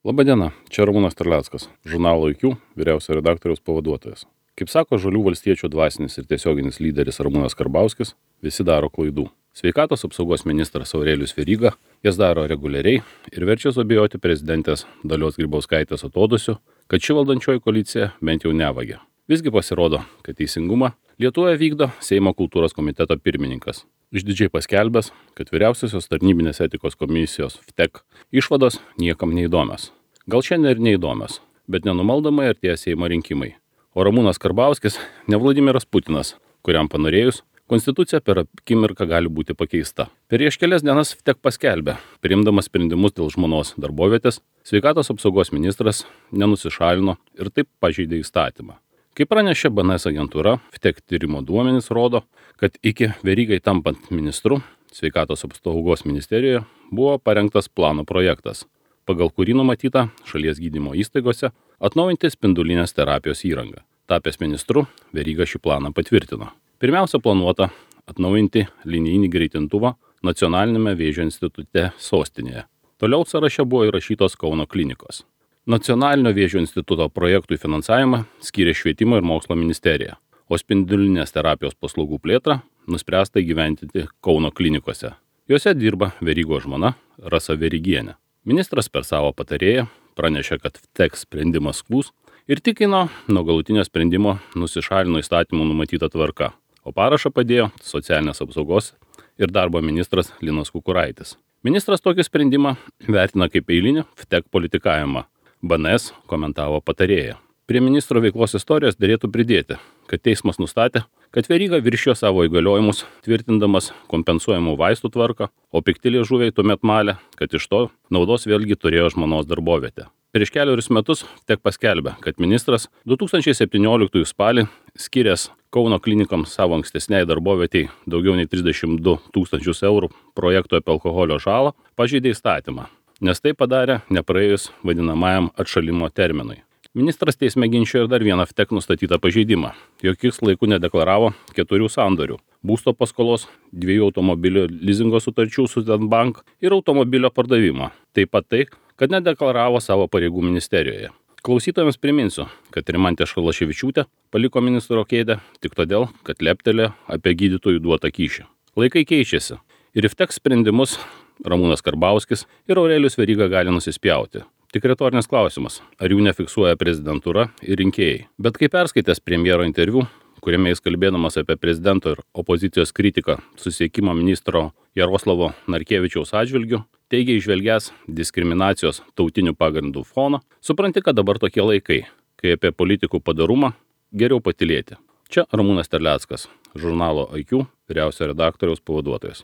Labadiena, čia Ramūnas Terleckas, žurnalo IQ vyriausio redaktoriaus pavaduotojas. Kaip sako Žalių valstiečių dvasinis ir tiesioginis lyderis Ramūnas Karbauskis, visi daro klaidų. Sveikatos apsaugos ministras Aurelijus Veryga jas daro reguliariai ir verčia suabejoti prezidentės Dalios Grybauskaitės atodūsiu, kad ši valdančioji koalicija bent jau nevagia. Visgi pasirodo, kad teisingumą Lietuvoje vykdo Seimo kultūros komiteto pirmininkas, išdidžiai paskelbęs, kad vyriausiosios tarnybinės etikos komisijos VTEK išvados niekam neįdomios. Gal šiandien ir neįdomios, bet nenumaldomai artėja Seimo rinkimai. O Ramūnas Karbauskis ne Vladimiras Putinas, kuriam panorėjus, konstitucija per akimirką gali būti pakeista. Prieš kelias dienas VTEK paskelbė, priimdamas sprendimus dėl žmonos darbovietės, sveikatos apsaugos ministras nenusišalino ir taip pažeidė įstatymą. Kaip pranešė BNS agentūra, VTEK tyrimo duomenys rodo, kad iki Verygai tampant ministru, sveikatos apsaugos ministerijoje buvo parengtas plano projektas, pagal kurį numatyta šalies gydymo įstaigose atnaujinti spindulinės terapijos įrangą. Tapęs ministru, Veryga šį planą patvirtino. Pirmiausia planuota atnaujinti linijinį greitintuvą Nacionalinėme vėžio institute sostinėje. Toliau sąraše buvo įrašytos Kauno klinikos. Nacionalinio vėžio instituto projektui finansavimą skyrė Švietimo ir mokslo ministerija, o spindulinės terapijos paslaugų plėtrą nuspręsta įgyvendinti Kauno klinikose. Jose dirba Verygos žmona Rasa Verygienė. Ministras per savo patarėją pranešė, kad VTEK sprendimas skųs ir tikino, nuo galutinio sprendimo nusišalino įstatymų numatyta tvarka, o parašą padėjo socialinės apsaugos ir darbo ministras Linas Kukuraitis. Ministras tokį sprendimą vertina kaip eilinį VTEK politikavimą. BNS komentavo patarėją. Prie ministro veiklos istorijos derėtų pridėti, kad teismas nustatė, kad Veryga viršijo savo įgaliojimus, tvirtindamas kompensuojamų vaistų tvarką, o pikti liežuviai tuomet malė, kad iš to naudos vėlgi turėjo žmonos darbovietę. Prieš keliarius metus VTEK paskelbė, kad ministras 2017 spalį skyręs Kauno klinikams savo ankstesniai darbovietei daugiau nei 32 tūkstančius eurų projekto apie alkoholio žalą pažeidė įstatymą, nes tai padarė nepraėjus vadinamajam atšalimo terminui. Ministras teisme ginčijo ir dar vieną VTEK nustatytą pažeidimą, jog jis laiku nedeklaravo 4 sandorių – būsto paskolos, 2 automobilio lizingo sutarčių su Bank ir automobilio pardavimo. Taip pat tai, kad nedeklaravo savo pareigų ministerijoje. Klausytojams priminsiu, kad Rimantė Šalaševičiūtė paliko ministro kėdę tik todėl, kad leptelė apie gydytojų duotą kyšį. Laikai keičiasi ir į VTEK sprendimus Ramūnas Karbauskis ir Aurelijus Veryga gali nusispjauti. Tik retorinis klausimas, ar jų nefiksuoja prezidentūra ir rinkėjai. Bet kai perskaitęs premjero interviu, kuriame jis kalbėdamas apie prezidento ir opozicijos kritiką susisiekimo ministro Jaroslavo Narkevičiaus atžvilgiu, teigia įžvelgęs diskriminacijos tautinių pagrindų foną, supranti, kad dabar tokie laikai, kai apie politikų padarumą geriau patylėti. Čia Ramūnas Terleckas, žurnalo IQ vyriausio redaktoriaus pavaduotojas.